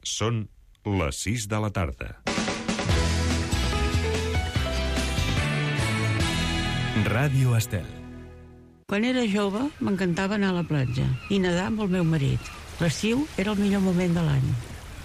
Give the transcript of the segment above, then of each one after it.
Són les 6 de la tarda. Ràdio Estel. Quan era jove m'encantava anar a la platja i nedar amb el meu marit. L'estiu era el millor moment de l'any.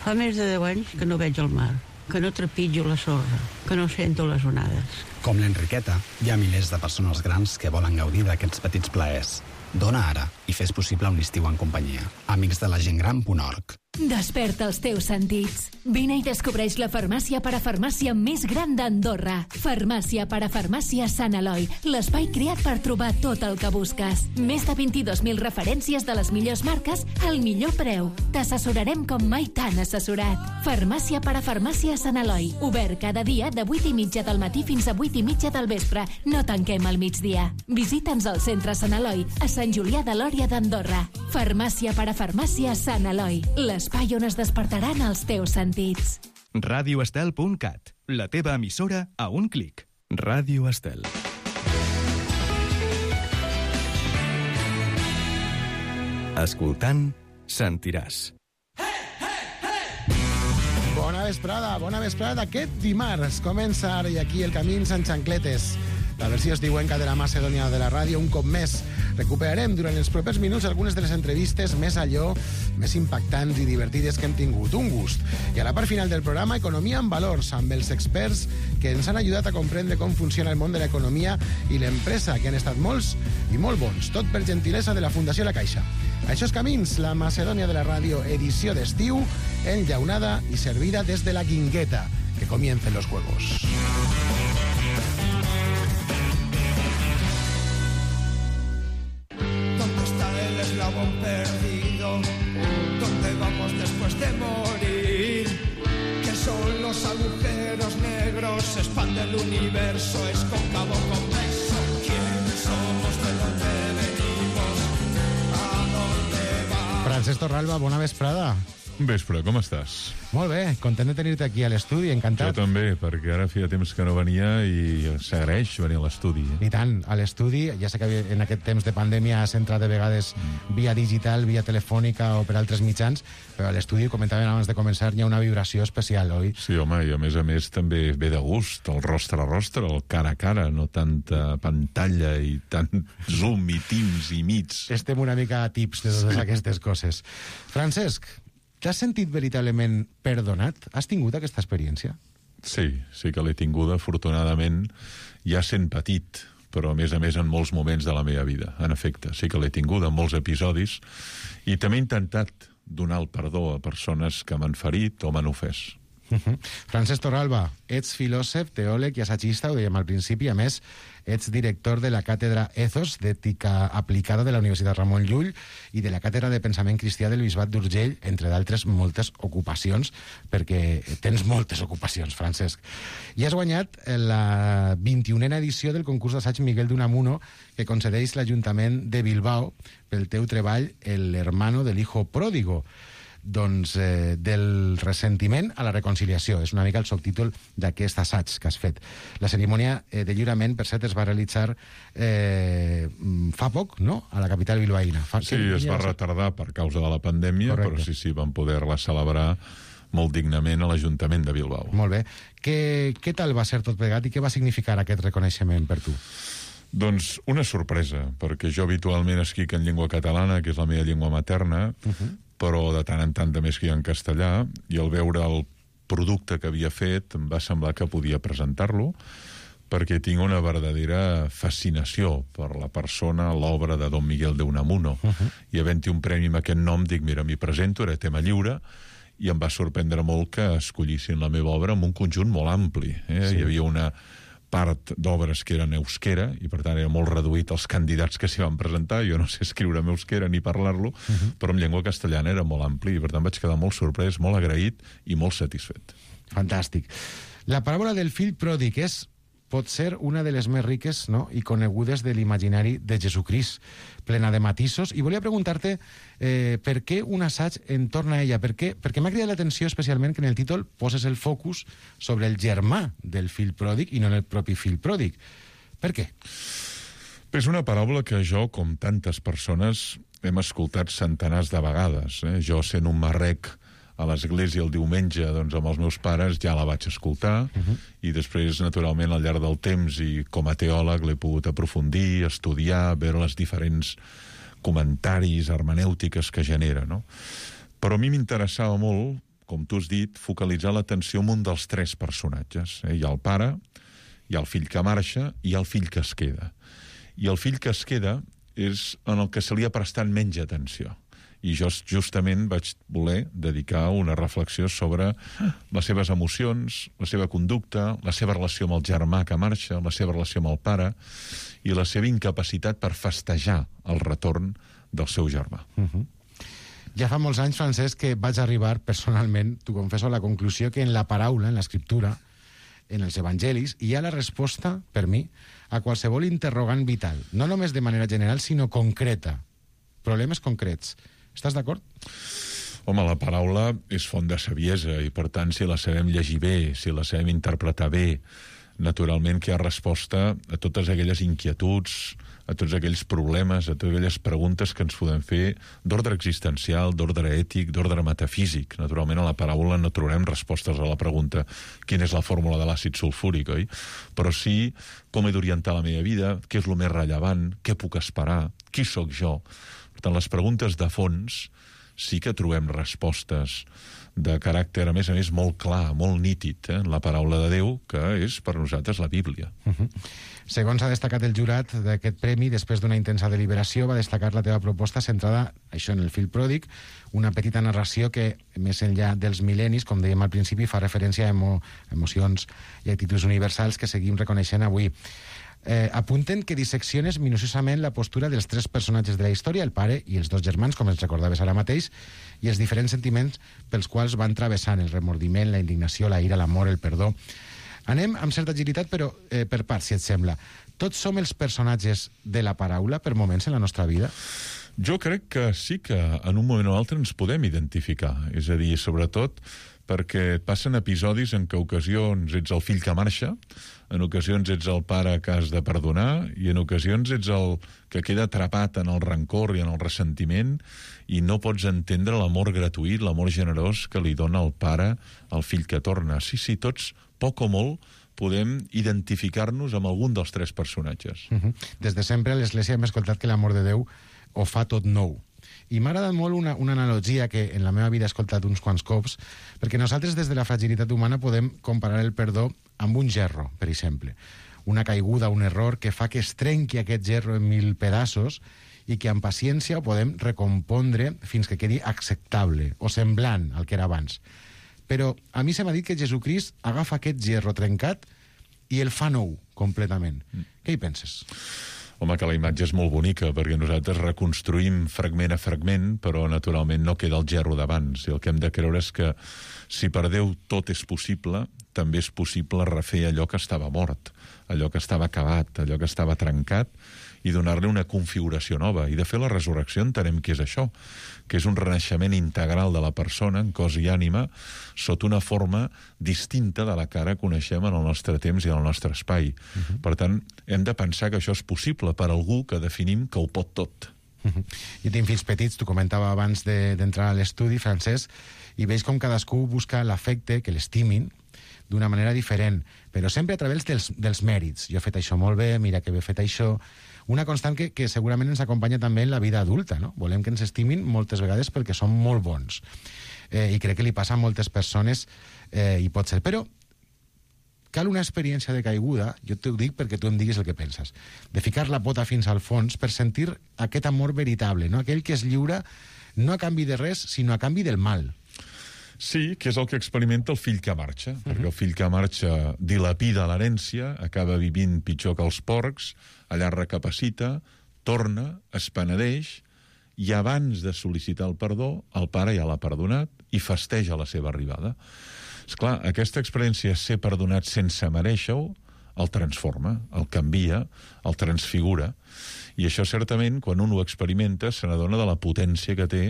Fa més de 10 anys que no veig el mar, que no trepitjo la sorra, que no sento les onades. Com l'Enriqueta, hi ha milers de persones grans que volen gaudir d'aquests petits plaers. Dona ara i fes possible un estiu en companyia. Amics de la gentgran.org. Desperta els teus sentits. Vine i descobreix la farmàcia parafarmàcia més gran d'Andorra. Farmàcia parafarmàcia Sant Eloi, l'espai creat per trobar tot el que busques. Més de 22.000 referències de les millors marques al millor preu. T'assessorarem com mai t'han assessorat. Farmàcia parafarmàcia Sant Eloi, obert cada dia de 8:30 del matí fins a 8:30 del vespre. No tanquem al migdia. Visita'ns al centre Sant Eloi, a Sant Julià de Lòria d'Andorra. Farmàcia parafarmàcia Sant Eloi, l'espai on es despertaran els teus sentits. radioestel.cat, la teva emissora a un clic. Ràdio Estel. Escoltant, sentiràs. Bona vesprada. Aquest dimarts comença ara i aquí el Camins en xancletes. La versió estiuenca de la Macedònia de la ràdio, un cop més. Recuperarem durant els propers minuts algunes de les entrevistes més impactants i divertides que hem tingut. Un gust. I a la part final del programa, Economia en Valors, amb els experts que ens han ajudat a comprendre com funciona el món de l'economia i l'empresa, que han estat molts i molt bons. Tot per gentilesa de la Fundació La Caixa. Això és Camins, la Macedònia de la ràdio, edició d'estiu, enllaunada i servida des de la Guingueta. Que comiencen los juegos. Perdido, ¿dónde vamos después de morir? ¿Qué son los agujeros negros? Se expande el universo, es cóncavo convexo. ¿Quiénes somos? ¿De dónde venimos? ¿A dónde vamos? Francesc Torralba, bona vesprada. Vespre, com estàs? Molt bé, content de tenir-te aquí a l'estudi, encantat. Jo també, perquè ara feia temps que no venia i s'agraeix venir a l'estudi. I tant, a l'estudi, ja sé que en aquest temps de pandèmia has entrat de vegades via digital, via telefònica o per altres mitjans, però a l'estudi, comentaven abans de començar, hi ha una vibració especial, oi? Sí, home, i a més també ve de gust, el rostre a rostre, el cara a cara, no tanta pantalla i tant Zoom i Teams i Meets. Estem una mica a tips de totes aquestes coses. Francesc, t'has sentit veritablement perdonat? Has tingut aquesta experiència? Sí que l'he tinguda, afortunadament, ja sent petit, però a més en molts moments de la meva vida. En efecte, sí que l'he tinguda en molts episodis i també he intentat donar el perdó a persones que m'han ferit o m'han ofès. Francesc Torralba, ets filòsof, teòleg i assagista, ho dèiem al principi, a més, ets director de la càtedra Ethos d'Ètica Aplicada de la Universitat Ramon Llull i de la càtedra de Pensament Cristià del Bisbat d'Urgell, entre d'altres moltes ocupacions, perquè tens moltes ocupacions, Francesc. I has guanyat la 21a edició del concurs d'assaig Miguel d'Unamuno que concedeix l'Ajuntament de Bilbao pel teu treball El hermano del hijo pródigo. Doncs del ressentiment a la reconciliació. És una mica el subtítol d'aquest assaig que has fet. La cerimònia de lliurament, per cert, es va realitzar fa poc, no?, a la capital bilbaïna. Sí, es va retardar per causa de la pandèmia, correcte. Però sí, vam poder-la celebrar molt dignament a l'Ajuntament de Bilbao. Molt bé. Què tal va ser tot plegat i què va significar aquest reconeixement per tu? Doncs una sorpresa, perquè jo habitualment escric en llengua catalana, que és la meva llengua materna, però de tant en tant també escric en castellà, i al veure el producte que havia fet em va semblar que podia presentar-lo, perquè tinc una verdadera fascinació per la persona, l'obra de Don Miguel de Unamuno. I havent-hi un premi amb aquest nom, dic, mira, m'hi presento, era tema lliure, i em va sorprendre molt que escollissin la meva obra amb un conjunt molt ampli. Sí. Hi havia una part d'obres que eren euskera, i per tant era molt reduït els candidats que s'hi van presentar. Jo no sé escriure en euskera ni parlar-lo, però en llengua castellana era molt ampli, i per tant vaig quedar molt sorprès, molt agraït i molt satisfet. Fantàstic. La paràbola del fill pròdig pot ser una de les més riques, no?, i conegudes de l'imaginari de Jesucrist, plena de matisos, i volia preguntar-te per què un assaig entorn a ella, perquè m'ha cridat l'atenció especialment que en el títol poses el focus sobre el germà del fill pròdig i no en el propi fill pròdig. Per què? És una paràbola que jo, com tantes persones, hem escoltat centenars de vegades. Jo, sent un marrec a l'església el diumenge doncs, amb els meus pares, ja la vaig escoltar, i després, naturalment, al llarg del temps, i com a teòleg l'he pogut aprofundir, estudiar, veure les diferents comentaris, hermenèutiques que genera, no? Però a mi m'interessava molt, com tu has dit, focalitzar l'atenció en un dels tres personatges. Hi ha el pare, hi ha el fill que marxa i hi ha el fill que es queda. I el fill que es queda és en el que se li ha prestat menys atenció. I jo justament vaig voler dedicar una reflexió sobre les seves emocions, la seva conducta, la seva relació amb el germà que marxa, la seva relació amb el pare i la seva incapacitat per festejar el retorn del seu germà. Ja fa molts anys, Francesc, que vaig arribar personalment, t'ho confesso, a la conclusió que en la paraula, en l'escriptura, en els evangelis, hi ha la resposta, per mi, a qualsevol interrogant vital. No només de manera general, sinó concreta. Problemes concrets. Estàs d'acord? Home, la paraula és font de saviesa i, per tant, si la sabem llegir bé, si la sabem interpretar bé, naturalment que hi ha resposta a totes aquelles inquietuds, a tots aquells problemes, a totes aquelles preguntes que ens podem fer d'ordre existencial, d'ordre ètic, d'ordre metafísic. Naturalment, a la paraula no trobarem respostes a la pregunta quina és la fórmula de l'àcid sulfúric, oi? Però sí com he d'orientar la meva vida, què és el més rellevant, què puc esperar, qui sóc jo. Per tant, les preguntes de fons sí que trobem respostes de caràcter, a més, molt clar, molt nítid, en la paraula de Déu, que és per nosaltres la Bíblia. Segons ha destacat el jurat d'aquest premi, després d'una intensa deliberació, va destacar la teva proposta centrada, això, en el fill pròdig, una petita narració que, més enllà dels mil·lennis, com dèiem al principi, fa referència a emocions i actituds universals que seguim reconeixent avui. Apunten que dissecciones minuciosament la postura dels tres personatges de la història, el pare i els dos germans, com ens recordaves ara mateix, i els diferents sentiments pels quals van travessant el remordiment, la indignació, la ira, l'amor, el perdó. Anem amb certa agilitat, però per parts, si et sembla. Tots som els personatges de la paraula per moments en la nostra vida? Jo crec que sí que en un moment o altre ens podem identificar. És a dir, sobretot perquè passen episodis en què ocasions ets el fill que marxa, en ocasions ets el pare que has de perdonar i en ocasions ets el que queda atrapat en el rancor i en el ressentiment i no pots entendre l'amor gratuït, l'amor generós que li dona el pare al fill que torna. Sí, tots, poc o molt, podem identificar-nos amb algun dels tres personatges. Des de sempre a l'Església hem escoltat que l'amor de Déu ho fa tot nou. I m'ha agradat molt una analogia que en la meva vida he escoltat uns quants cops, perquè nosaltres des de la fragilitat humana podem comparar el perdó amb un gerro, per exemple. Una caiguda, un error que fa que es trenqui aquest gerro en 1000 pedaços i que amb paciència ho podem recompondre fins que quedi acceptable o semblant al que era abans. Però a mi se m'ha dit que Jesucrist agafa aquest gerro trencat i el fa nou completament. Què hi penses? Home, que la imatge és molt bonica, perquè nosaltres reconstruïm fragment a fragment, però naturalment no queda el gerro d'abans. I el que hem de creure és que si per Déu tot és possible, també és possible refer allò que estava mort, allò que estava acabat, allò que estava trencat, i donar-li una configuració nova. I de fet la resurrecció entenem que és això, que és un renaixement integral de la persona, en cos i ànima, sota una forma distinta de la que ara coneixem en el nostre temps i en el nostre espai. Per tant, hem de pensar que això és possible per algú que definim que ho pot tot. Jo tinc fills petits, t'ho comentava abans d'entrar a l'estudi, Francesc, i veig com cadascú busca l'afecte, que l'estimin, d'una manera diferent, però sempre a través dels mèrits. Jo he fet això molt bé, mira que bé he fet això. Una constant que segurament ens acompanya també en la vida adulta, no? Volem que ens estimin moltes vegades perquè som molt bons. I crec que li passa a moltes persones, i pot ser. Però cal una experiència de caiguda, jo t'ho dic perquè tu em diguis el que penses, de ficar la pota fins al fons per sentir aquest amor veritable, no? Aquell que es lliura no a canvi de res, sinó a canvi del mal. Sí, que és el que experimenta el fill que marxa, perquè el fill que marxa dilapida l'herència, acaba vivint pitjor que els porcs, allà recapacita, torna, es penedeix, i abans de sol·licitar el perdó, el pare ja l'ha perdonat i festeja la seva arribada. Esclar, aquesta experiència de ser perdonat sense merèixer-ho el transforma, el canvia, el transfigura. I això, certament, quan un ho experimenta, se n'adona de la potència que té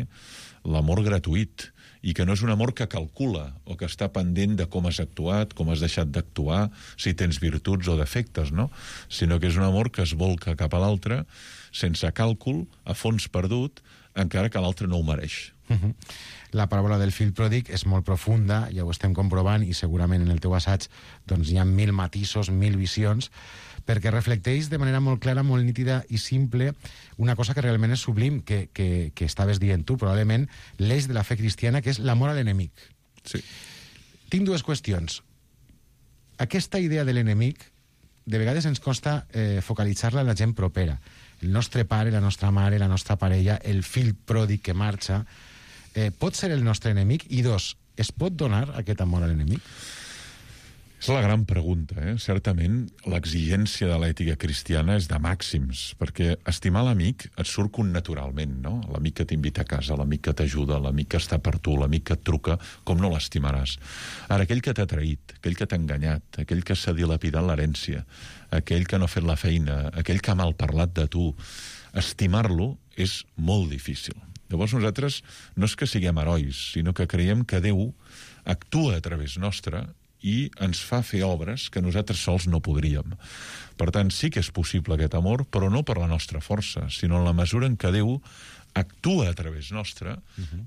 l'amor gratuït, i que no és un amor que calcula o que està pendent de com has actuat, com has deixat d'actuar, si tens virtuts o defectes, no? Sinó que és un amor que es volca cap a l'altre sense càlcul, a fons perdut, encara que l'altre no ho mereix. La paràbola del fill pròdig és molt profunda, ja ho estem comprovant, i segurament en el teu assaig doncs, hi ha 1000 matisos, 1000 visions, perquè reflecteix de manera molt clara, molt nítida i simple una cosa que realment és sublim, que estaves dient tu, probablement l'eix de la fe cristiana, que és l'amor a l'enemic. Sí. Tinc dues qüestions. Aquesta idea de l'enemic, de vegades ens costa focalitzar-la en la gent propera. El nostre pare, la nostra mare, la nostra parella, el fill pròdig que marxa, pot ser el nostre enemic? I dos, es pot donar aquest amor a l'enemic? És la gran pregunta, eh? Certament, l'exigència de l'ètica cristiana és de màxims, perquè estimar l'amic et surt connaturalment, no? L'amic que t'invita a casa, l'amic que t'ajuda, l'amic que està per tu, l'amic que et truca, com no l'estimaràs? Ara, aquell que t'ha traït, aquell que t'ha enganyat, aquell que s'ha dilapidat l'herència, aquell que no ha fet la feina, aquell que ha malparlat de tu, estimar-lo és molt difícil. Llavors nosaltres no és que siguem herois, sinó que creiem que Déu actua a través nostre i ens fa fer obres que nosaltres sols no podríem. Per tant, sí que és possible aquest amor, però no per la nostra força, sinó en la mesura en què Déu actua a través nostre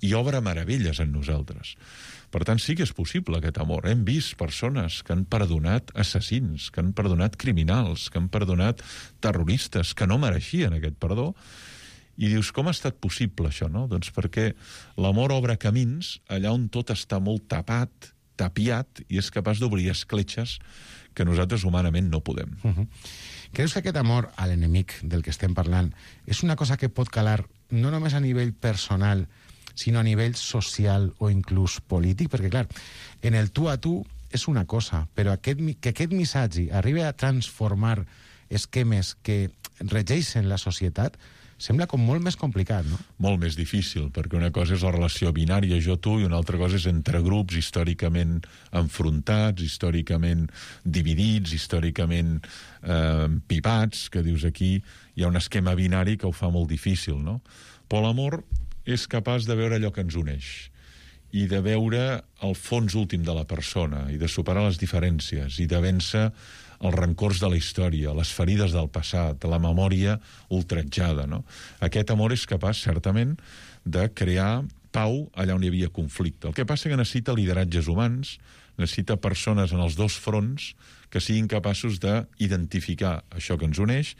i obre meravelles en nosaltres. Per tant, sí que és possible aquest amor. Hem vist persones que han perdonat assassins, que han perdonat criminals, que han perdonat terroristes, que no mereixien aquest perdó. I dius, com ha estat possible això, no? Doncs perquè l'amor obre camins allà on tot està molt tapat, tapiat, i és capaç d'obrir escletxes que nosaltres humanament no podem. Creus que aquest amor a l'enemic del que estem parlant és una cosa que pot calar no només a nivell personal, sinó a nivell social o inclús polític? Perquè, clar, en el tu a tu és una cosa, però que aquest missatge arribi a transformar esquemes que regeixen la societat sembla com molt més complicat, no? Molt més difícil, perquè una cosa és la relació binària jo-tu i una altra cosa és entre grups històricament enfrontats, històricament dividits, històricament pipats, que dius aquí hi ha un esquema binari que ho fa molt difícil, no? Però l'amor és capaç de veure allò que ens uneix i de veure el fons últim de la persona i de superar les diferències i de vèncer els rancors de la història, les ferides del passat, la memòria ultratjada, no? Aquest amor és capaç, certament, de crear pau allà on hi havia conflicte. El que passa que necessita lideratges humans, necessita persones en els dos fronts que siguin capaços d'identificar això que ens uneix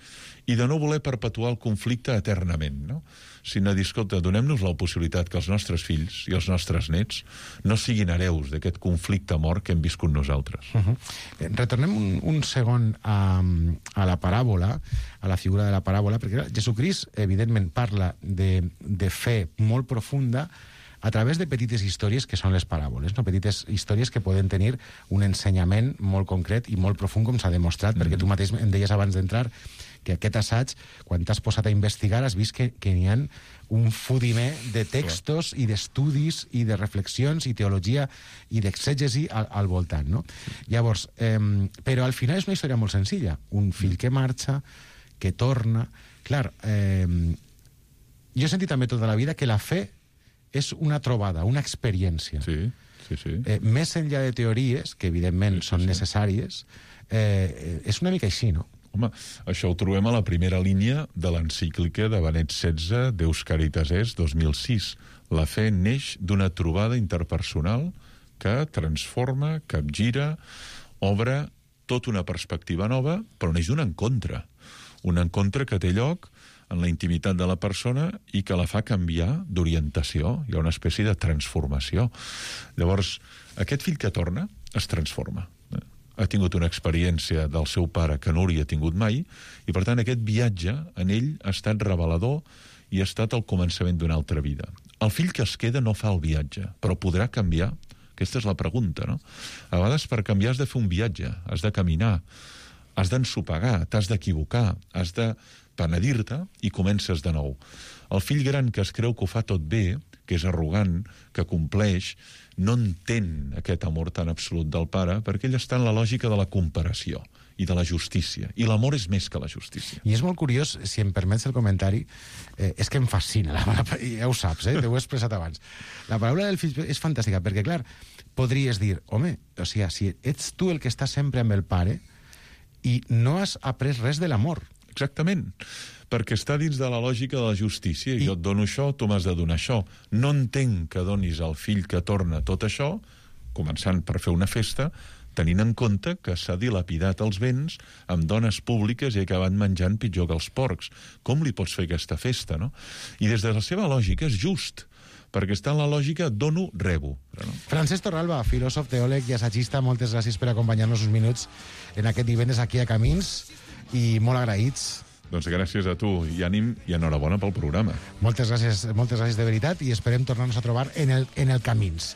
i de no voler perpetuar el conflicte eternament, no? Sinó dir, escolta, donem-nos la possibilitat que els nostres fills i els nostres nets no siguin hereus d'aquest conflicte mort que hem viscut nosaltres. Retornem un segon a la paràbola, a la figura de la paràbola, perquè Jesucrist, evidentment, parla de fe molt profunda a través de petites històries que són les paràboles, no? Petites històries que poden tenir un ensenyament molt concret i molt profund, com s'ha demostrat, perquè tu mateix em deies abans d'entrar que aquest assaig, quan t'has posat a investigar, has vist que n'hi ha un fudimer de textos i d'estudis i de reflexions i teologia i d'exègesi al voltant, no? Llavors, però al final és una història molt senzilla. Un fill que marxa, que torna... Clar, jo he sentit també tota la vida que la fe és una trobada, una experiència. Sí. Més enllà de teories, que evidentment són necessàries, és una mica així, no? Home, això ho trobem a la primera línia de l'encíclica de Benet XVI, Deus Caritas Est, 2006. La fe neix d'una trobada interpersonal que transforma, capgira, obre tota una perspectiva nova, però neix d'un encontre. Un encontre que té lloc en la intimitat de la persona i que la fa canviar d'orientació. Hi ha una espècie de transformació. Llavors, aquest fill que torna es transforma. Ha tingut una experiència del seu pare que no hauria tingut mai, i per tant aquest viatge en ell ha estat revelador i ha estat el començament d'una altra vida. El fill que es queda no fa el viatge, però podrà canviar? Aquesta és la pregunta, no? A vegades per canviar has de fer un viatge, has de caminar, has d'ensopegar, t'has d'equivocar, has de penedir-te i comences de nou. El fill gran que es creu que ho fa tot bé, que és arrogant, que compleix, no entén aquest amor tan absolut del pare perquè ell està en la lògica de la comparació i de la justícia. I l'amor és més que la justícia. I és molt curiós, si em permets el comentari, és que em fascina, ja ho saps, t'ho he expressat abans. La paraula del fill és fantàstica, perquè, clar, podries dir, home, o sigui, si ets tu el que està sempre amb el pare i no has après res de l'amor, exactament, perquè està dins de la lògica de la justícia. Jo et dono això, tu m'has de donar això. No entenc que donis al fill que torna tot això, començant per fer una festa, tenint en compte que s'ha dilapidat els béns amb dones públiques i ha acabat menjant pitjor que els porcs. Com li pots fer aquesta festa, no? I des de la seva lògica és just, perquè està en la lògica dono, rebo. No? Francesc Torralba, filòsof, teòleg i assagista, moltes gràcies per acompanyar-nos uns minuts en aquest divendres aquí a Camins i molt agraïts. Doncs gràcies a tu i ànim i enhorabona pel programa. Moltes gràcies de veritat i esperem tornar-nos a trobar en el Camins.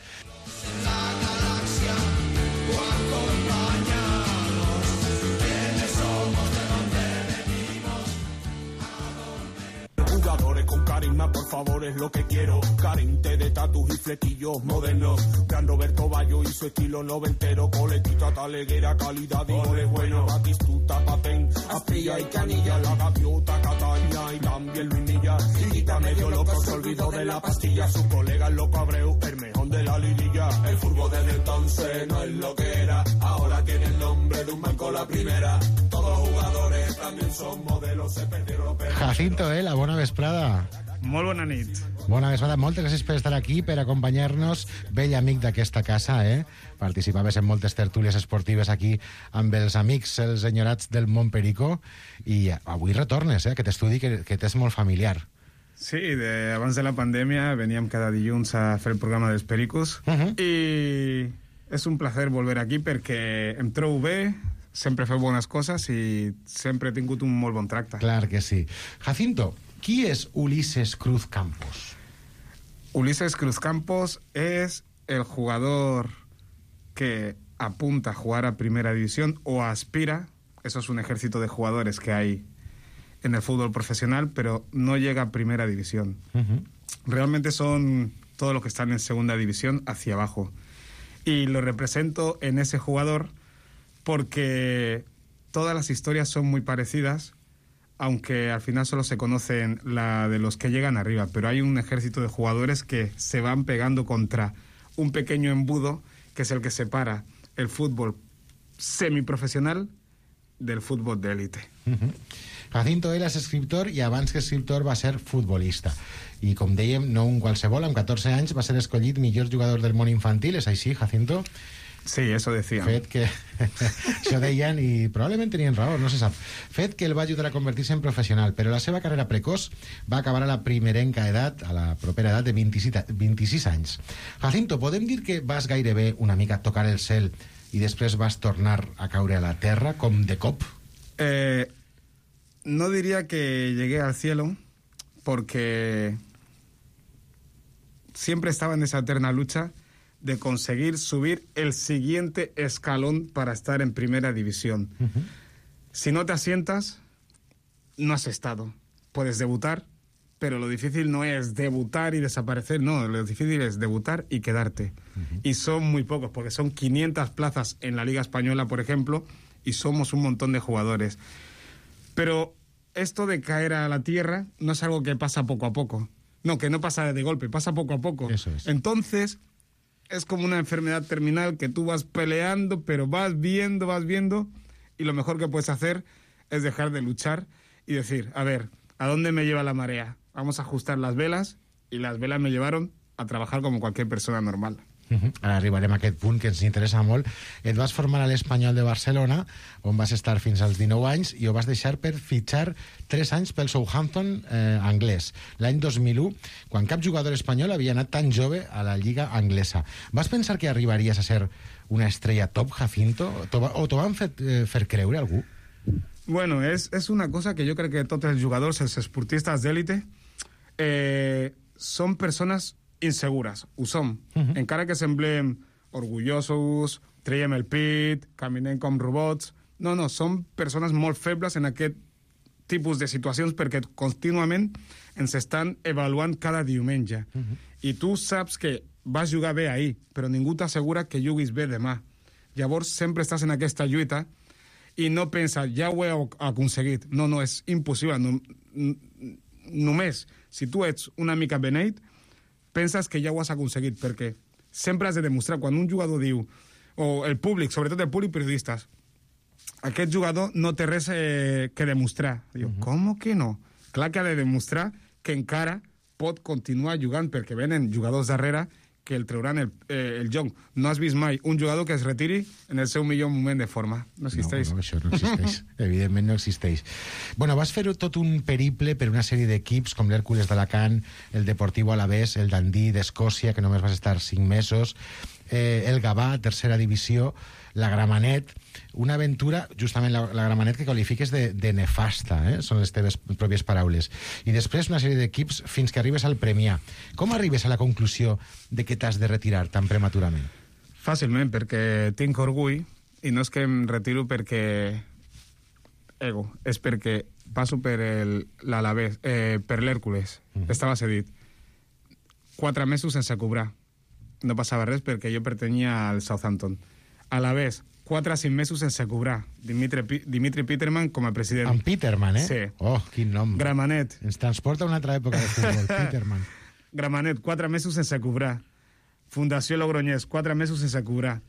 Con carisma, por favor, es lo que quiero. Carente de tatus y flequillos modernos. Gran Roberto Bayo y su estilo noventero. Coletita taleguera, calidad y goles buenos. Batistuta, Patén, Aspilla y Canilla. La gaviota, Cataña y también Luinilla. Liguita medio loco, se olvidó de la pastilla. Su colega el loco Abreu, el mejor de la liguilla. El fútbol desde entonces no es lo que era. Ahora tiene el nombre de un banco la primera. Todos los jugadores también son modelos. Se perdieron los perros. Jacinto, la bona vesprada. Molt bona nit. Bona vesprada, moltes gràcies per estar aquí, per acompanyar-nos, vell amic d'aquesta casa, participaves en moltes tertúlies esportives aquí amb els amics, els enyorats del Montperico, i avui retornes, aquest estudi que t'és molt familiar. Sí, abans de la pandèmia veníem cada dilluns a fer el programa dels Pericos, i és un plaer volver aquí perquè em trobo bé, sempre feu bones coses i sempre he tingut un molt bon tracte. Clar que sí. Jacinto, qui és Ulises Cruz Campos? Ulises Cruz Campos es el jugador que apunta a jugar a primera división o aspira. Eso es un ejército de jugadores que hay en el fútbol profesional, pero no llega a primera división. Realmente son todos los que están en segunda división hacia abajo. Y lo represento en ese jugador porque todas las historias son muy parecidas, aunque al final solo se conocen la de los que llegan arriba, pero hay un ejército de jugadores que se van pegando contra un pequeño embudo que es el que separa el fútbol semiprofessional del fútbol d'élite. Jacinto, ell és escriptor i abans que escriptor va ser futbolista. I com dèiem, no un qualsevol, amb 14 anys va ser escollit millor jugador del món infantil, és així, Jacinto? Sí, eso decían. Fet que això deien i probablement tenien raó, no se sap. Fet que el va ajudar a convertir-se en professional, però la seva carrera precoç va acabar a la primerenca edat, a la propera edat de 26 anys. Jacinto, podem dir que vas gairebé una mica a tocar el cel i després vas tornar a caure a la terra, com de cop? No diría que llegué al cielo, porque siempre estaba en esa eterna lucha de conseguir subir el siguiente escalón para estar en primera división. Si no te asientas, no has estado. Puedes debutar, pero lo difícil no es debutar y desaparecer, no, lo difícil es debutar y quedarte. Y son muy pocos, porque son 500 plazas en la Liga Española, por ejemplo, y somos un montón de jugadores. Pero esto de caer a la tierra no es algo que pasa poco a poco. No, que no pasa de golpe, pasa poco a poco. Eso es. Entonces, es como una enfermedad terminal que tú vas peleando, pero vas viendo, y lo mejor que puedes hacer es dejar de luchar y decir, a ver, ¿a dónde me lleva la marea? Vamos a ajustar las velas, y las velas me llevaron a trabajar como cualquier persona normal. Ara arribarem a aquest punt que ens interessa molt. Et vas formar a l'Espanyol de Barcelona, on vas estar fins als 19 anys, i ho vas deixar per fitxar 3 anys pel Southampton anglès. L'any 2001, quan cap jugador espanyol havia anat tan jove a la Lliga anglesa. Vas pensar que arribaries a ser una estrella top, Jacinto? O t'ho van fer creure algú? Bueno, es una cosa que yo creo que tots els jugadors, els esportistes d'élite, són persones insegures, ho som. Encara que semblem orgullosos, traiem el pit, caminem com robots. No, som persones molt febles en aquest tipus de situacions perquè contínuament ens estan avaluant cada diumenge. I tu saps que vas jugar bé ahir, però ningú t'assegura que juguis bé demà. Llavors sempre estàs en aquesta lluita i no penses, ja ho he aconseguit. No, és impossible. Només, si tu ets una mica beneit, penses que ja ho has aconseguit, perquè sempre has de demostrar, quan un jugador diu, o el públic, sobretot el públic periodistes, aquest jugador no té res que demostrar. Diu, com que no? Clar que ha de demostrar que encara pot continuar jugant, perquè venen jugadors darrere que el trauran el joc. No has vist mai un jugador que es retiri en el seu millor moment de forma. No existeix. No, això no existeix. Evidentment no existeix. Bueno, vas fer tot un periple per una sèrie d'equips com l'Hèrcules d'Alacant, el Deportivo Alavés, el Dundee d'Escòcia, que només vas estar 5 mesos, el Gavà, tercera divisió, la Gramenet, una aventura, justament la Gramenet, que qualifiques de nefasta, són les teves pròpies paraules. I després una sèrie d'equips fins que arribes al Premià. Com arribes a la conclusió de que t'has de retirar tan prematurament? Fàcilment, perquè tinc orgull, i no és que em retiro perquè ego, és perquè passo per l'Alavés, per l'Hèrcules. Estava cedit. 4 mesos sense cobrar. No passava res perquè jo pertanyia al Southampton. Alavés, 4 a 5 mesos sense cobrar. Dimitri Peterman com a president. En Peterman, Sí. Oh, quin nom. Gramenet. Ens transporta a una altra època de futbol, Peterman. Gramenet, 4 mesos sense cobrar. Fundació Logroñés, 4 mesos sense cobrar.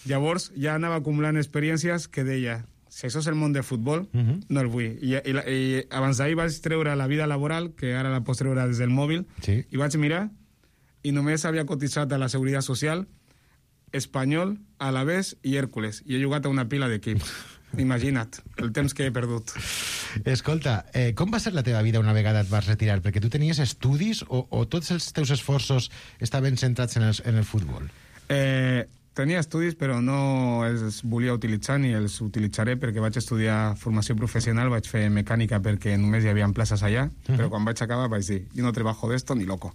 Llavors ja anava acumulant experiències que deia, si això és el món del futbol, no el vull. I abans d'ahir vaig treure la vida laboral, que ara la pots treure des del mòbil, Sí. i vaig mirar, i només havia cotitzat a la Seguretat Social Espanyol, Alavés i Hèrcules. I he jugat a una pila d'equips. Imagina't, el temps que he perdut. Escolta, com va ser la teva vida una vegada et vas retirar? Perquè tu tenies estudis o tots els teus esforços estaven centrats en el futbol? Tenia estudis, però no els volia utilitzar ni els utilitzaré perquè vaig estudiar formació professional, vaig fer mecànica perquè només hi havia places allà, però quan vaig acabar vaig dir, jo no trebajo d'esto ni loco.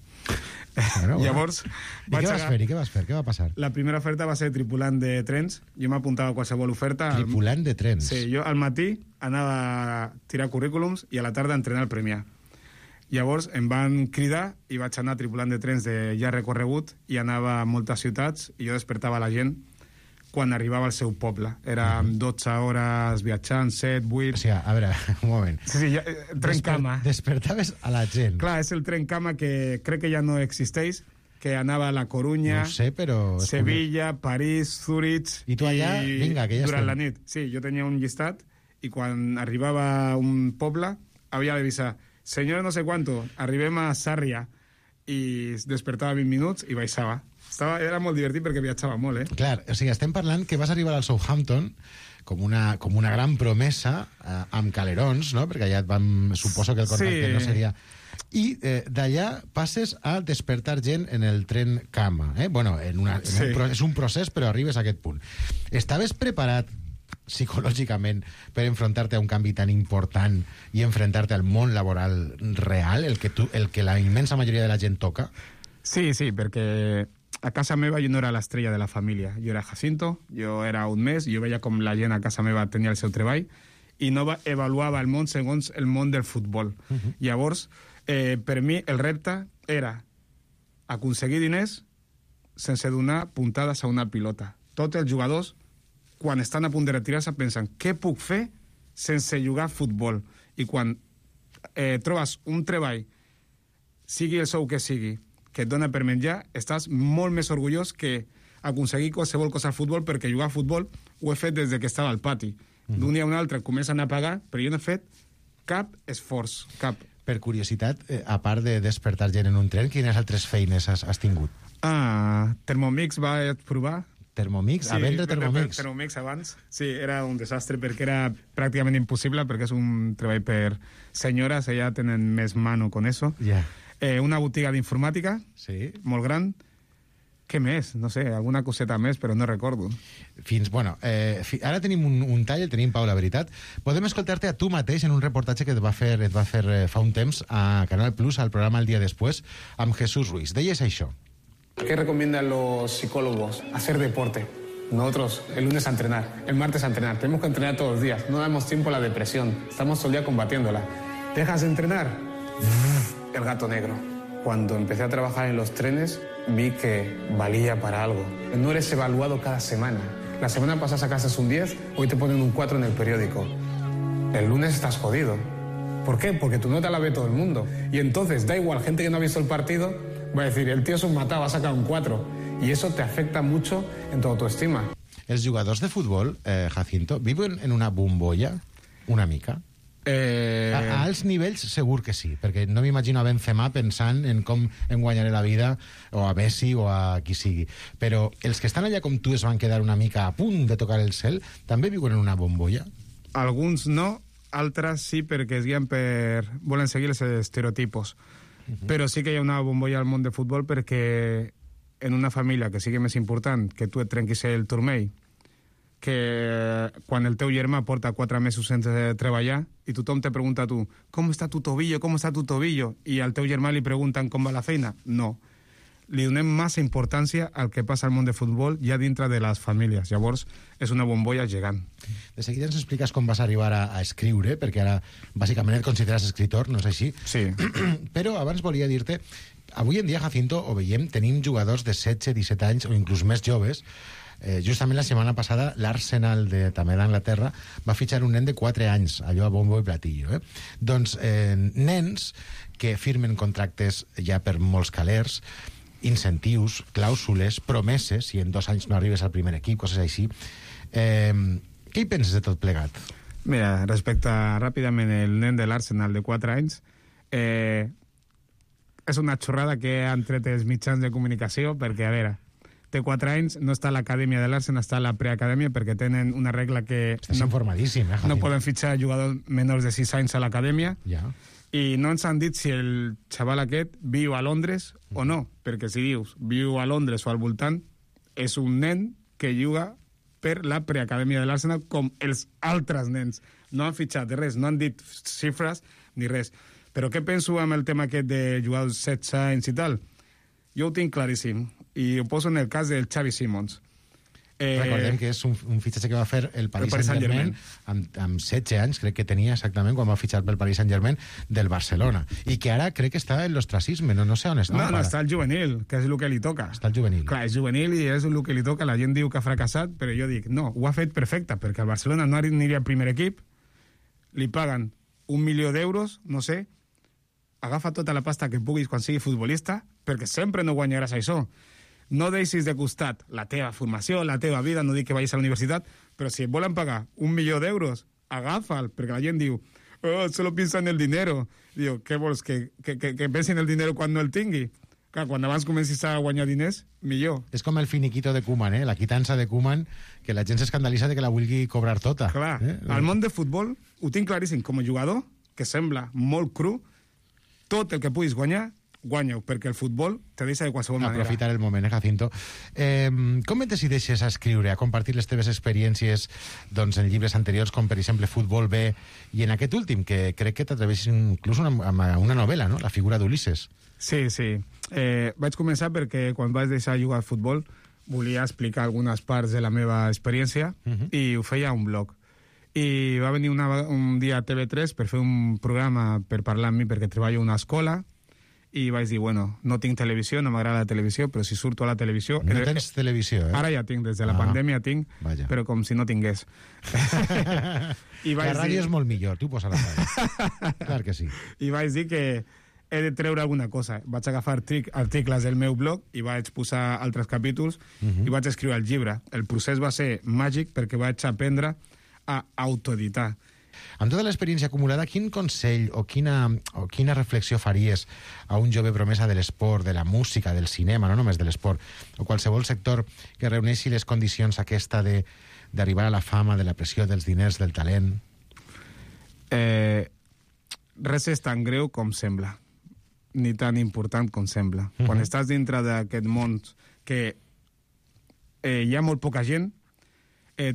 Bueno. Llavors, I què vas fer? I què vas fer? Què va passar? La primera oferta va ser tripulant de trens. Jo m'apuntava a qualsevol oferta. Tripulant de trens? Sí, jo al matí anava a tirar currículums i a la tarda a entrenar al Premià. Llavors em van cridar i vaig anar tripulant de trens de llarg recorregut i anava a moltes ciutats i jo despertava la gent quan arribava al seu poble. Era 12 hores viatjant, 7, 8... O sigui, a veure, un moment. Sí, ja, tren cama. Despertaves a la gent. Clar, és el tren cama que crec que ja no existeix, que anava a La Corunya, no sé, però... Sevilla, París, Zurich... I tu allà, vinga, que ja durant estem. la nit. Sí, jo tenia un llistat i quan arribava a un poble havia d'avisar senyora no sé quanto, arribem a Sàrria i despertava 20 minuts i baixava. Era molt divertit perquè viatjava molt, Clar, o sigui, estem parlant que vas arribar al Southampton com una gran promesa amb calerons, no? Perquè allà et vam... Suposo que el contacte no seria... I d'allà passes a despertar gent en el tren cama. Bueno, és un procés, però arribes a aquest punt. Estaves preparat psicològicament per enfrontar-te a un canvi tan important i enfrontar-te al món laboral real, el que la immensa majoria de la gent toca? Sí, perquè a casa meva jo no era l'estrella de la família. Jo era Jacinto, jo era un mes, jo veia com la gent a casa meva tenia el seu treball i no avaluava el món segons el món del futbol. Llavors, per mi el repte era aconseguir diners sense donar puntades a una pilota. Tots els jugadors quan estan a punt de retirar-se pensen què puc fer sense jugar a futbol, i quan trobes un treball, sigui el sou que sigui, que et dona per menjar, estàs molt més orgullós que aconseguir qualsevol cosa al futbol, perquè jugar a futbol ho he fet des que estava al pati. D'un dia a un altre comencen a pagar, però jo no he fet cap esforç, cap. Per curiositat, a part de despertar gent en un tren, quines altres feines has tingut? Thermomix vaig provar. Thermomix? A vendre Thermomix? Thermomix abans. Sí, era un desastre perquè era pràcticament impossible, perquè és un treball per senyores, ella tenen més mano con eso. Una botiga d'informàtica, molt gran. Què més? No sé, alguna coseta més, però no recordo. Ara tenim un tall, el tenim, Pau, la veritat. Podem escoltar-te a tu mateix en un reportatge que et va fer fa un temps a Canal Plus, al programa El Día Después, amb Jesús Ruiz. Deies això. ¿Qué recomiendan los psicólogos? Hacer deporte. Nosotros, el lunes a entrenar, el martes a entrenar. Tenemos que entrenar todos los días. No damos tiempo a la depresión. Estamos todo el día combatiéndola. ¿Dejas de entrenar? El gato negro. Cuando empecé a trabajar en los trenes, vi que valía para algo. No eres evaluado cada semana. La semana pasada sacaste un 10, hoy te ponen un 4 en el periódico. El lunes estás jodido. ¿Por qué? Porque tu nota la ve todo el mundo. Y entonces, da igual, gente que no ha visto el partido... va a decir, el tío es un matado, va a sacar un 4. Y eso te afecta mucho en tu autoestima. Els jugadors de futbol, Jacinto, viuen en una bombolla una mica? A alts nivells segur que sí, perquè no m'imagino a Benzema pensant en com em guanyaré la vida, o a Messi o a qui sigui, però els que estan allà com tu es van quedar una mica a punt de tocar el cel, també viuen en una bombolla? Alguns no, altres sí, perquè es guien volen seguir els estereotipos. Però sí que hi ha una bombolla al món de futbol, perquè en una família que sigui més important que tu et trenquis el turmell, que quan el teu germà porta 4 mesos sense treballar i tothom te pregunta a tu, com està tu tobillo, com està tu tobillo? I al teu germà li pregunten com va la feina? No. Li donem massa importància al que passa al món de futbol ja dintre de les famílies. Llavors, és una bombolla gegant. De seguida ens expliques com vas arribar a escriure, perquè ara bàsicament et consideres escritor, no és així? Sí. Però abans volia dir-te, avui en dia, Jacinto, ho veiem, tenim jugadors de 16, 17 anys o inclús més joves. Justament la setmana passada l'Arsenal també d'Anglaterra va fitxar un nen de 4 anys, allò a bombo i platillo, doncs nens que firmen contractes ja per molts calers, incentius, clàusules, promeses, si en 2 anys no arribes al primer equip, coses així. Què hi penses de tot plegat? Mira, respecte ràpidament el nen de l'Arsenal de 4 anys, és una xorrada que han tret els mitjans de comunicació, perquè, a veure, té 4 anys, no està a l'acadèmia de l'Arsenal, està a la preacadèmia, perquè tenen una regla que Estàs informadíssim, no poden fitxar jugadors menors de 6 anys a l'acadèmia, ja. I no ens han dit si el xaval aquest viu a Londres o no, perquè si dius viu a Londres o al voltant, és un nen que juga per la preacadèmia de l'Arsenal com els altres nens. No han fitxat res, no han dit xifres ni res. Però què penso amb el tema aquest de jugadors 16 anys i tal? Jo ho tinc claríssim, i ho poso en el cas del Xavi Simons. Recordem que és un fitxatge que va fer el Paris Saint-Germain amb 16 anys, crec que tenia exactament quan va fitxar pel Paris Saint-Germain del Barcelona, i que ara crec que està en l'ostracisme, no sé on està. No, està el juvenil, que és el que li toca. Està el juvenil. Clar, és juvenil i és el que li toca. La gent diu que ha fracassat, però jo dic, no, ho ha fet perfecte, perquè el Barcelona no aniria al primer equip, li paguen 1 milió d'euros, no sé, agafa tota la pasta que puguis quan sigui futbolista, perquè sempre no guanyaràs això. No deixis de costat la teva formació, la teva vida, no dic que vagis a la universitat, però si et volen pagar 1 milió d'euros, agafa'l, perquè la gent diu, solo piensa en el dinero. Diu, què vols, que pensi en el dinero quan no el tingui? Clar, quan abans comencis a guanyar diners, millor. És com el finiquito de Koeman, la quitança de Koeman, que la gent s'escandalitza de que la vulgui cobrar tota. Clar, al món de futbol ho tinc claríssim, com a jugador, que sembla molt cru, tot el que puguis guanyar, guanya-ho, perquè el futbol te deixa de qualsevol manera. Aprofitar el moment, Jacinto. Com et decideixes a escriure, a compartir les teves experiències doncs, en llibres anteriors, com per exemple Futbol B, i en aquest últim, que crec que t'atreveixes inclús amb una novel·la, no? La figura d'Ulisses. Sí. Vaig començar perquè quan vaig deixar jugar al futbol volia explicar algunes parts de la meva experiència i ho feia a un blog. I va venir un dia a TV3 per fer un programa per parlar amb mi, perquè treballo a una escola, i vaig dir, bueno, no tinc televisió, no m'agrada la televisió, però si surto a la televisió... No tens televisió, Ara ja tinc, des de la pandèmia tinc, vaja. Però com si no tingués. La ràdio és molt millor, tu posa la ràdio. Clar que sí. I vaig dir que he de treure alguna cosa. Vaig agafar articles del meu blog i vaig posar altres capítols i vaig escriure el llibre. El procés va ser màgic perquè vaig aprendre a autoeditar. Amb tota l'experiència acumulada, quin consell o quina reflexió faries a un jove promesa de l'esport, de la música, del cinema, no només de l'esport, o qualsevol sector que reuneixi les condicions aquesta d'arribar a la fama, de la pressió, dels diners, del talent? Res és tan greu com sembla, ni tan important com sembla. Quan estàs dintre d'aquest món que hi ha molt poca gent,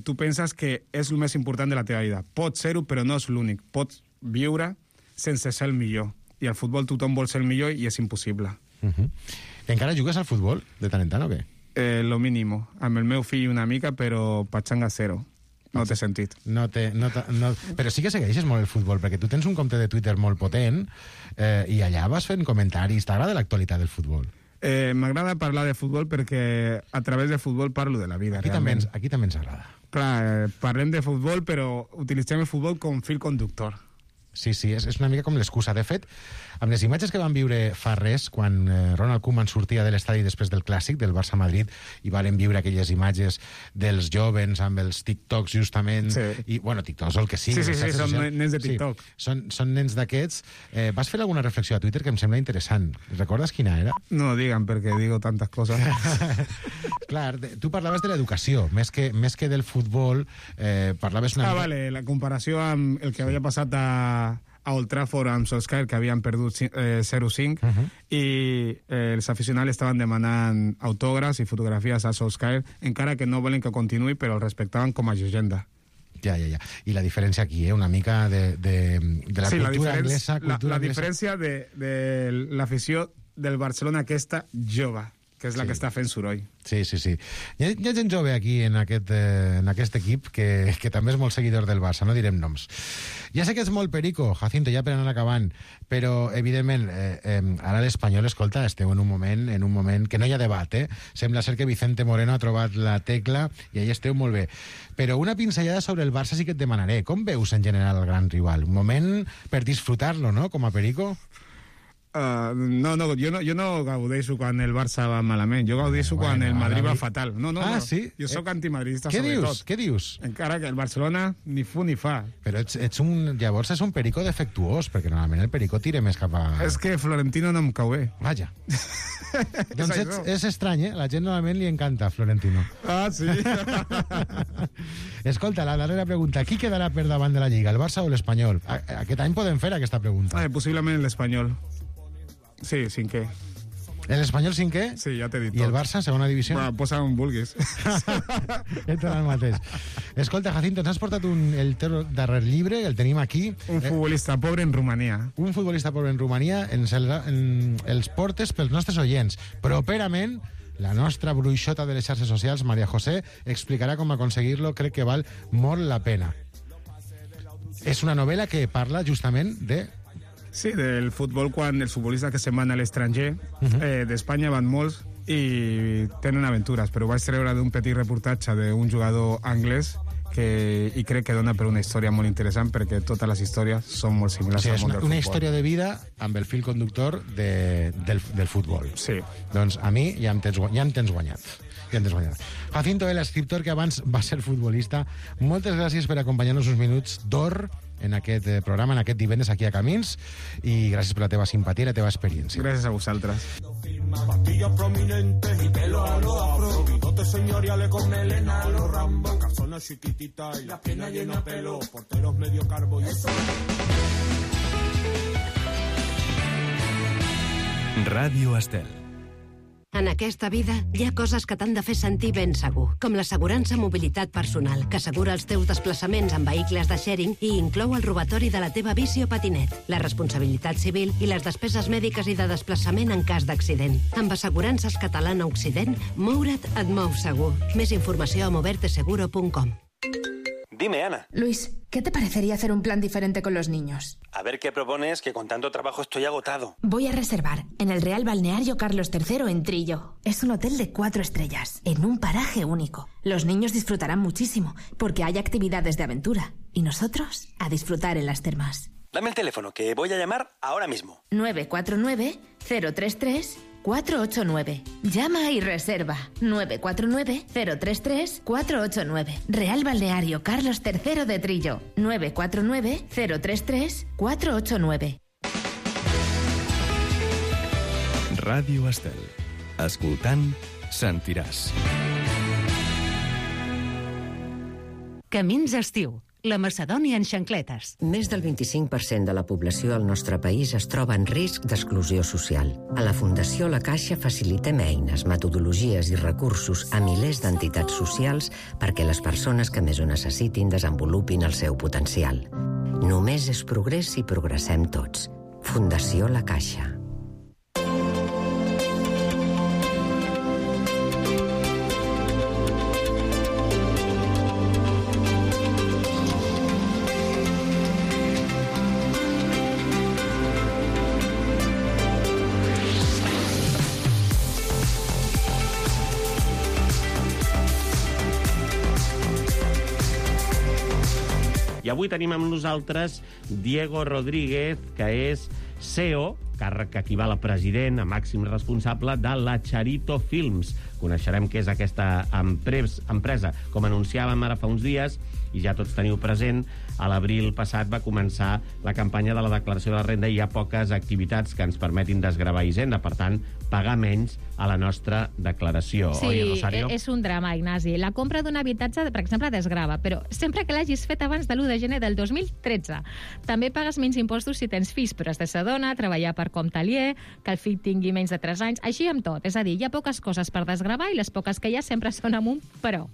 tu penses que és el més important de la teva vida. Pots ser-ho, però no és l'únic. Pots viure sense ser el millor. I al futbol tothom vol ser el millor i és impossible. Encara jugues al futbol de tant en tant o què? Lo mínimo. Amb el meu fill una mica, però pachanga zero. No té sentit. Però sí que segueixes molt el futbol, perquè tu tens un compte de Twitter molt potent i allà vas fent comentaris. T'agrada l'actualitat del futbol? M'agrada parlar de futbol perquè a través de futbol parlo de la vida. Aquí també ens agrada. Clar, parlem de futbol, però utilitzem el futbol com fil conductor. Sí, és una mica com l'excusa. De fet, amb les imatges que van viure fa res, quan Ronald Koeman sortia de l'estadi després del Clàssic, del Barça-Madrid, i varen viure aquelles imatges dels jovens amb els TikToks, justament, i, bueno, TikToks o el que sigui. Sí, són nens de TikTok. Sí, són nens d'aquests. Vas fer alguna reflexió a Twitter que em sembla interessant. Recordes quina era? No digan, perquè digo tantes coses. Clar, tu parlaves de l'educació, més que del futbol, parlaves una mica... Vale, la comparació amb el que havia passat a Old Trafford amb Solskjaer, que havien perdut 0-5, i els aficionats estaven demanant autògrafs i fotografies a Solskjaer, encara que no volen que continuï, però el respectaven com a llegenda. Ja. I la diferència aquí, una mica de la cultura anglesa... La diferència de l'afició del Barcelona aquesta jove, que és la que està fent soroll. Sí. Hi ha gent jove aquí en aquest equip que també és molt seguidor del Barça, no direm noms. Ja sé que és molt perico, Jacinto, ja per anar acabant, però, evidentment, ara l'Espanyol, escolta, esteu en un moment que no hi ha debat, Sembla ser que Vicente Moreno ha trobat la tecla i allà esteu molt bé. Però una pinzellada sobre el Barça sí que et demanaré. Com veus en general el gran rival? Un moment per disfrutar-lo, no?, com a perico? No, jo no gaudeixo quan el Barça va malament, jo gaudeixo quan el Madrid va fatal. No. Sí? Jo sóc antimadridista, sobretot. Què dius? Encara que el Barcelona ni fu ni fa. Però llavors és un perico defectuós, perquè normalment el perico tira més cap a... És que Florentino no em cau bé. Vaja. Doncs és estrany, La gent normalment li encanta Florentino. Ah, sí? Escolta, la darrera pregunta. Qui quedarà per davant de la Lliga, el Barça o l'Espanyol? Aquest any podem fer aquesta pregunta. Possiblement l'Espanyol. Sí, cinquè. L'Espanyol cinquè? Sí, ja t'he dit tot. I el Barça, segona divisió? Bueno, posa on vulguis. Entra el mateix. Escolta, Jacinto, ens has portat el teu darrer llibre, el tenim aquí. Un futbolista pobre en Romania. Un futbolista pobre en Romania, els portes pels nostres oients. Properament, la nostra bruixota de les xarxes socials, María José, explicarà com aconseguir-lo. Crec que val molt la pena. És una novel·la que parla justament de... Sí, del futbol, quan els futbolistes que se'n van a l'estranger, d'Espanya van molts i tenen aventures, però vaig treure d'un petit reportatge d'un jugador anglès i crec que dona per una història molt interessant, perquè totes les històries són molt similars al món del futbol. Una història de vida amb el fil conductor del futbol. Sí. Doncs a mi ja em tens guanyat. Jacinto, l'escriptor que abans va ser futbolista, moltes gràcies per acompanyar-nos uns minuts d'or en aquest programa, en aquest divendres aquí a Camins, i gràcies per la teva simpatia i la teva experiència. Gràcies a vosaltres. Patillas prominentes y pelo a lo afro, bigotes señoriales con melena a lo Rambo, calzones chiquititas y la pierna llena de pelo, porteros medio carbo y eso. Ràdio Estel. En aquesta vida hi ha coses que t'han de fer sentir ben segur, com l'assegurança mobilitat personal, que assegura els teus desplaçaments en vehicles de sharing i inclou el robatori de la teva bici o patinet, la responsabilitat civil i les despeses mèdiques i de desplaçament en cas d'accident. Amb Assegurances Catalana Occident, moure't et mou segur. Més informació a moverteseguro.com. Dime, Ana. Luis, ¿qué te parecería hacer un plan diferente con los niños? A ver qué propones, que con tanto trabajo estoy agotado. Voy a reservar en el Real Balneario Carlos III en Trillo. Es un hotel de 4 estrellas, en un paraje único. Los niños disfrutarán muchísimo, porque hay actividades de aventura. Y nosotros, a disfrutar en las termas. Dame el teléfono, que voy a llamar ahora mismo. 949-033-489. Llama y reserva. 949-033-489. Real Balneario Carlos III de Trillo. 949-033-489. Ràdio Estel. Escoltant, sentiràs. Camins estiu. La Macedònia en xancletes. Més del 25% de la població al nostre país es troba en risc d'exclusió social. A la Fundació La Caixa facilitem eines, metodologies i recursos a milers d'entitats socials perquè les persones que més ho necessitin desenvolupin el seu potencial. Només és progrés si progressem tots. Fundació La Caixa. I avui tenim amb nosaltres Diego Rodríguez, que és CEO, càrrec que equival a president, a màxim responsable de la Charito Films. Coneixerem què és aquesta empresa. Com anunciàvem ara fa uns dies, i ja tots teniu present, a l'abril passat va començar la campanya de la declaració de la renda i hi ha poques activitats que ens permetin desgravar Hisenda, per tant, pagar menys a la nostra declaració. Sí, oi, Rosario? És un drama, Ignasi. La compra d'un habitatge, per exemple, desgrava, però sempre que l'hagis fet abans de l'1 de gener del 2013. També pagues menys impostos si tens fills, però has de ser dona, treballar per compte aliè, que el fill tingui menys de 3 anys, així amb tot. És a dir, hi ha poques coses per desgravar i les poques que hi ha sempre són amb un però.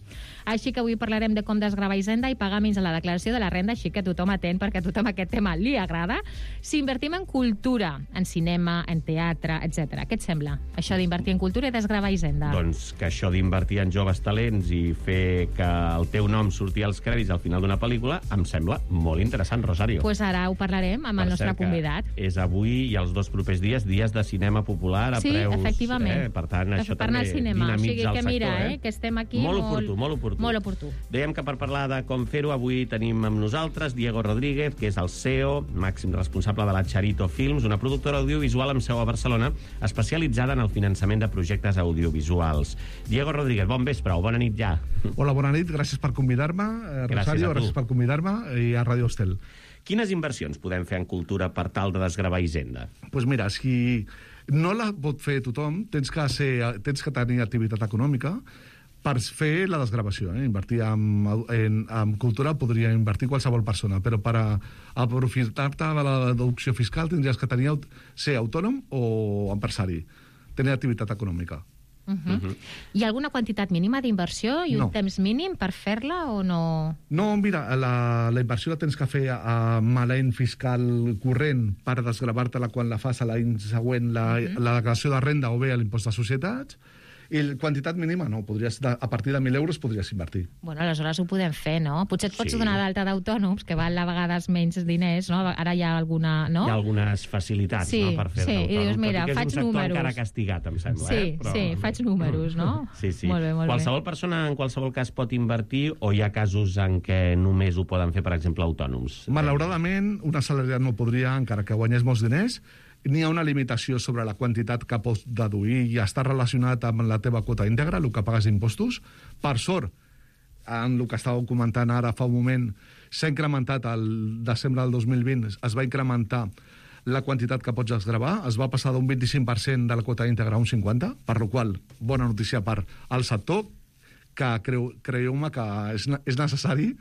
Així que avui parlarem de com desgravar Hisenda i pagar menys a la declaració de la renda, així que tothom atent, perquè a tothom aquest tema li agrada. Si invertim en cultura, en cinema, en teatre, etc. Què et sembla, això d'invertir en cultura i desgravar Hisenda? Doncs que això d'invertir en joves talents i fer que el teu nom surti als crèdits al final d'una pel·lícula em sembla molt interessant, Rosario. Pues ara ho parlarem amb el nostre convidat. És avui i els 2 propers dies de cinema popular a preus... Sí, efectivament. Per tant, això també cinema. dinamitza el sector. Que mira, que estem aquí molt oportú. Molt oportú. Dèiem que per parlar de com fer-ho, avui tenim amb nosaltres Diego Rodríguez, que és el CEO, màxim responsable de la Charito Films, una productora audiovisual amb seu a Barcelona, especialitzada en el finançament de projectes audiovisuals. Diego Rodríguez, bon vespre o bona nit ja. Hola, bona nit, gràcies per convidar-me, Rosario, gràcies per convidar-me i a Radio Estel. Quines inversions podem fer en cultura per tal de desgravar Hisenda? Doncs mira, si no la pot fer tothom, tens que tenir activitat econòmica per fer la desgravació. Invertir en cultura podria invertir qualsevol persona, però per aprofitar-te de la deducció fiscal tindries que ser autònom o empresari, tenir activitat econòmica. Hi ha alguna quantitat mínima d'inversió i un temps mínim per fer-la o no? No, mira, la inversió la tens que fer amb l'any fiscal corrent per desgravar-te-la quan la fas a l'any següent la declaració de renda o bé a l'impost de societats. I la quantitat mínima no, a partir de 1.000 euros podries invertir. Bueno, aleshores ho podem fer, no? Potser et pots donar d'alta d'autònoms, que val a vegades menys diners, no? Ara hi ha alguna... No? Hi ha algunes facilitats, no?, per fer-te autònom. I dius, mira, faig números. És un sector encara castigat, em sembla. Sí, faig números, no? Sí. Molt bé. Qualsevol persona, en qualsevol cas, pot invertir o hi ha casos en què només ho poden fer, per exemple, autònoms? Malauradament, un assalariat no podria, encara que guanyés molts diners. N'hi ha una limitació sobre la quantitat que pots deduir i està relacionat amb la teva quota íntegra, el que pagues d'impostos. Per sort, en el que estàveu comentant ara fa un moment, s'ha incrementat el desembre del 2020, es va incrementar la quantitat que pots desgravar, es va passar d'un 25% de la quota íntegra a un 50%, per la qual bona notícia per al sector, que creieu-me que és necessari,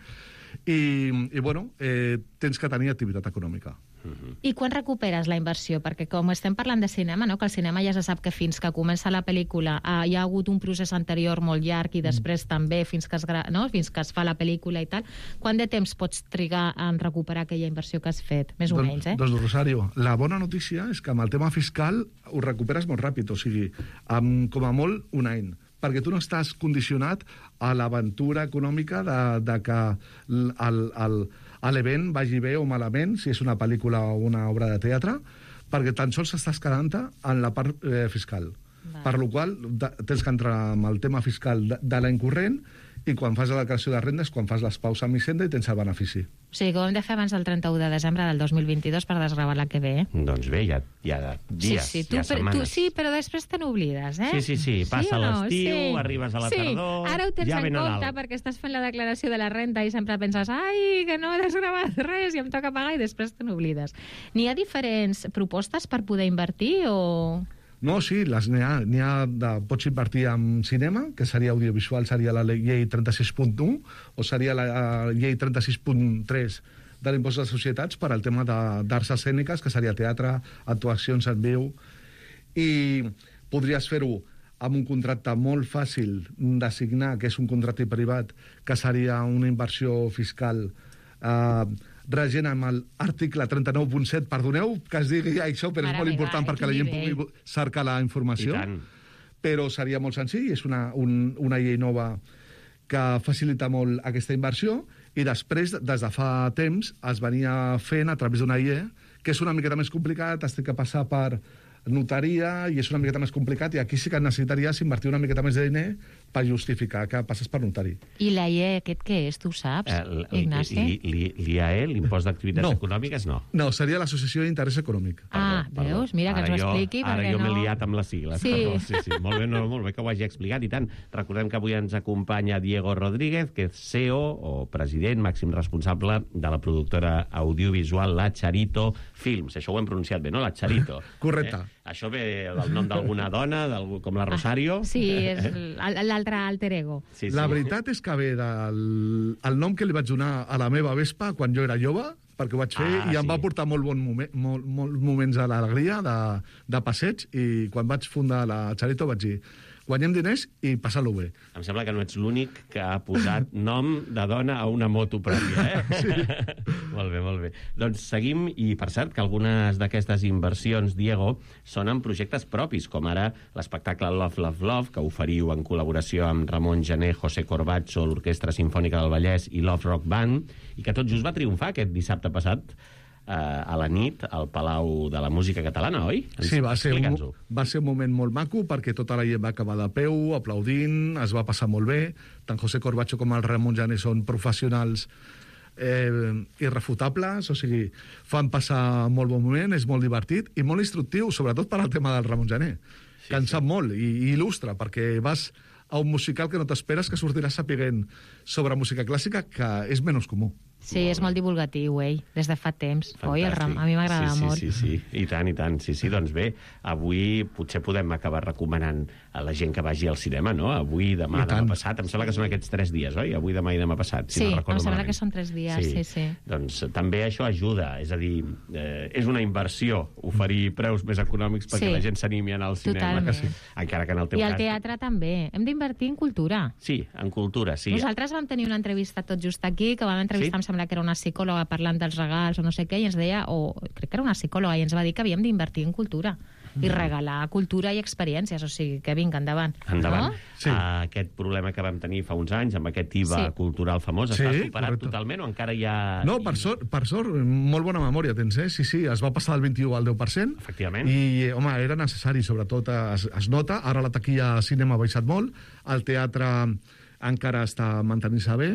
i bueno, tens que tenir activitat econòmica. I quan recuperes la inversió? Perquè com estem parlant de cinema, no? Que el cinema ja se sap que fins que comença la pel·lícula hi ha hagut un procés anterior molt llarg i després també fins que es fa la pel·lícula i tal. Quant de temps pots trigar en recuperar aquella inversió que has fet? Més o menys, Doncs, Rosario, la bona notícia és que amb el tema fiscal ho recuperes molt ràpid, o sigui, com a molt un any, perquè tu no estàs condicionat a l'aventura econòmica de que l'event vagi bé o malament, si és una pel·lícula o una obra de teatre, perquè tan sols estàs quedant-te en la part fiscal. Per la qual tens que entrar amb el tema fiscal de l'any corrent i quan fas la declaració de renda és quan fas les paus amb Hisenda i tens el benefici. O sigui que ho hem de fer abans del 31 de desembre del 2022 per desgravar la que ve. Doncs bé, hi ha dies, hi ha setmanes. Sí, però després te n'oblides, Sí, passa l'estiu, arribes a la tardor, ara ho tens ja ve en compte Nadal. perquè estàs fent la declaració de la renda i sempre penses, ai, que no he desgravat res i em toca pagar, i després te n'oblides. N'hi ha diferents propostes per poder invertir o...? No, sí, n'hi ha pots invertir en cinema, que seria audiovisual, seria la llei 36.1, o seria la llei 36.3 de l'impost de societats per al tema d'arts escèniques, que seria teatre, actuacions en viu, i podries fer-ho amb un contracte molt fàcil de signar, que és un contracte privat, que seria una inversió fiscal regent amb l'article 39.7, perdoneu que es digui això, però és molt important perquè la gent pugui cercar la informació. Però seria molt senzill, és una llei nova que facilita molt aquesta inversió, i després, des de fa temps, es venia fent a través d'una llei, que és una miqueta més complicat, has de passar per notaria, i és una miqueta més complicat, i aquí sí que necessitaries invertir una miqueta més de diner per justificar que passes per notari. I l'AIE aquest què és, tu saps, Ignasi? L'IAE, l'impost d'activitats econòmiques, no. No, seria l'Associació d'Interès Econòmic. Veus? Mira, que ens ho expliqui, perquè no... Ara jo m'he liat amb les sigles. Sí. Sí. Molt bé que ho hagi explicat, i tant. Recordem que avui ens acompanya Diego Rodríguez, que és CEO o president, màxim responsable de la productora audiovisual La Charito Films. Això ho hem pronunciat bé, no? La Charito. Correcte. Això ve del nom d'alguna dona, com la Rosario? Sí, és l'altre alter ego. Sí. La veritat és que ve del nom que li vaig donar a la meva Vespa quan jo era jove, perquè ho vaig fer i em va portar molts moments d'alegria, de passeig, i quan vaig fundar la Charito vaig dir: guanyem diners i passar-lo bé. Em sembla que no ets l'únic que ha posat nom de dona a una moto pròpia, Sí. Molt bé. Doncs seguim, i per cert que algunes d'aquestes inversions, Diego, són en projectes propis, com ara l'espectacle Love, Love, Love, que oferiu en col·laboració amb Ramon Gené, José Corbacho, l'Orquestra Simfònica del Vallès i Love Rock Band, i que tot just va triomfar aquest dissabte passat a la nit al Palau de la Música Catalana, oi? Sí, va ser un moment molt maco, perquè tota la gent va acabar de peu, aplaudint, es va passar molt bé. Tant José Corbacho com el Ramon Gené són professionals irrefutables, o sigui, fan passar molt bon moment, és molt divertit i molt instructiu, sobretot per al tema del Ramon Gené, que en sap molt i il·lustra, perquè vas a un musical que no t'esperes que sortiràs sapiguent sobre música clàssica, que és menys comú. Sí, és molt divulgatiu, ell, des de fa temps. Oi? A mi m'agrada molt. Sí, i tant. Sí, doncs bé, avui potser podem acabar recomanant a la gent que vagi al cinema, no? Avui, demà passat. Em sembla que són aquests 3 dies, oi? Avui, demà i demà passat, si no recordo malament. Sí, em sembla que són 3 dies, sí. Doncs també això ajuda, és a dir, és una inversió oferir preus més econòmics perquè la gent s'animi a anar al cinema. Totalment. Encara que en el teu cas... I al teatre també. Hem d'invertir en cultura. Sí, en cultura, sí. Nosaltres vam tenir una entrevista tot just aquí, que vam entrevistar, em sembla que era una psicòloga parlant dels regals o no sé què, i ens deia, crec que era una psicòloga, i ens va dir que havíem d'invertir en cultura i regalar cultura i experiències, o sigui, que vinga, endavant. Endavant. No? Sí. Aquest problema que vam tenir fa uns anys, amb aquest IVA cultural famós, està superat totalment o encara hi ha... No, per sort, molt bona memòria tens, eh? Sí, es va passar del 21 al 10%. Efectivament. I, home, era necessari, sobretot es nota. Ara la taquilla cinema ha baixat molt, el teatre encara està mantenint-se bé,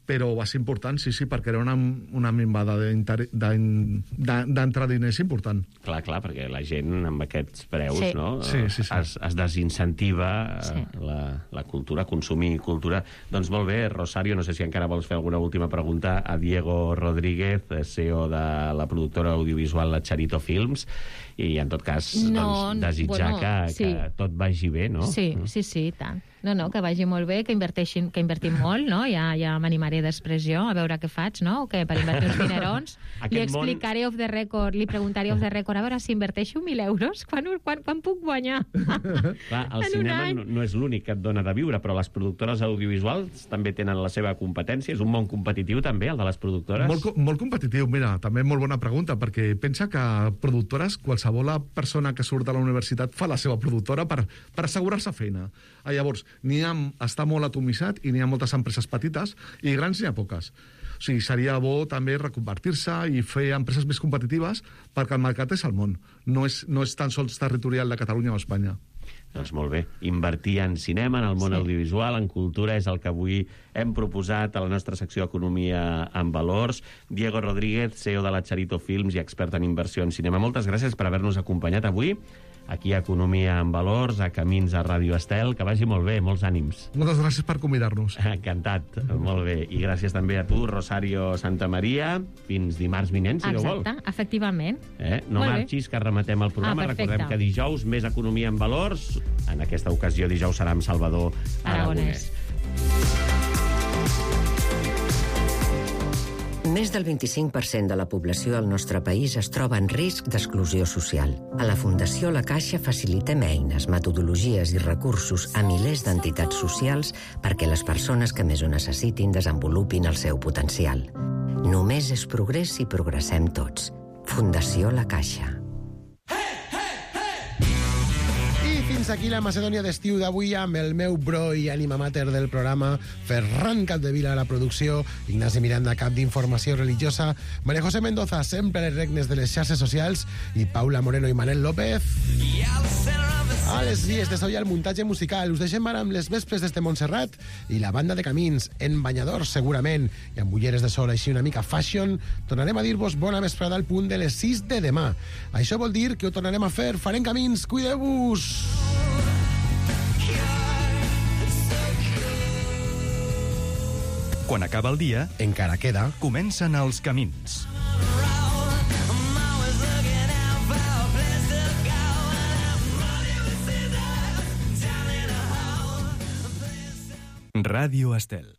però va ser important, sí, perquè era una minvada d'entrar diners important. Clar, perquè la gent amb aquests preus no? Sí. Es desincentiva la cultura, consumir cultura. Doncs molt bé, Rosario, no sé si encara vols fer alguna última pregunta a Diego Rodríguez, CEO de la productora audiovisual La Charito Films, i en tot cas desitjar que tot vagi bé, no? Sí, i tant. No, que vagi molt bé, que invertim molt, no? Ja m'animaré després jo a veure què faig, no? O que per invertir uns dinerons li explicaré off the record, li preguntaré off the record, a veure si inverteixo 1.000 euros, quan puc guanyar? Clar, el cinema no és l'únic que et dona de viure, però les productores audiovisuals també tenen la seva competència. És un món competitiu també, el de les productores? Molt competitiu, mira, també molt bona pregunta, perquè pensa que productores, qualsevol persona que surt de la universitat fa la seva productora per assegurar-se feina. Llavors, està molt atomitzat i n'hi ha moltes empreses petites i grans n'hi ha poques. O sigui, seria bo també reconvertir-se i fer empreses més competitives, perquè el mercat és el món. No és tan sols territorial de Catalunya o Espanya. Doncs molt bé. Invertir en cinema, en el món audiovisual, en cultura, és el que avui hem proposat a la nostra secció Economia en Valors. Diego Rodríguez, CEO de la Charito Films i expert en inversió en cinema. Moltes gràcies per haver-nos acompanyat avui aquí a Economia en Valors, a Camins a Ràdio Estel. Que vagi molt bé, molts ànims. Moltes gràcies per convidar-nos. Encantat, molt bé. I gràcies també a tu, Rosario Santamaria. Fins dimarts vinent, si no vols. Exacte, efectivament. No marxis, que rematem el programa. Recordem que dijous més Economia en Valors. En aquesta ocasió dijous serà amb Salvador Aragonès. Més del 25% de la població del nostre país es troba en risc d'exclusió social. A la Fundació La Caixa facilitem eines, metodologies i recursos a milers d'entitats socials perquè les persones que més ho necessitin desenvolupin el seu potencial. Només és progrés si progressem tots. Fundació La Caixa. Fins aquí la Macedònia d'estiu d'avui amb el meu bro i ànima mater del programa, Ferran Capdevila a la producció, Ignasi Miranda, cap d'informació religiosa, María José Mendoza, sempre a les regnes de les xarxes socials, i Paula Moreno i Manel López a les vies de so i al muntatge musical. Us deixem ara amb les vespres des de Montserrat i la banda de Camins, en banyadors segurament, i amb ulleres de sol així una mica fashion. Tornarem a dir-vos bona vesprada al punt de les 6 de demà. Això vol dir que ho tornarem a fer. Farem Camins, cuideu-vos! Quan acaba el dia, encara queda, comencen els camins. Ràdio Estel.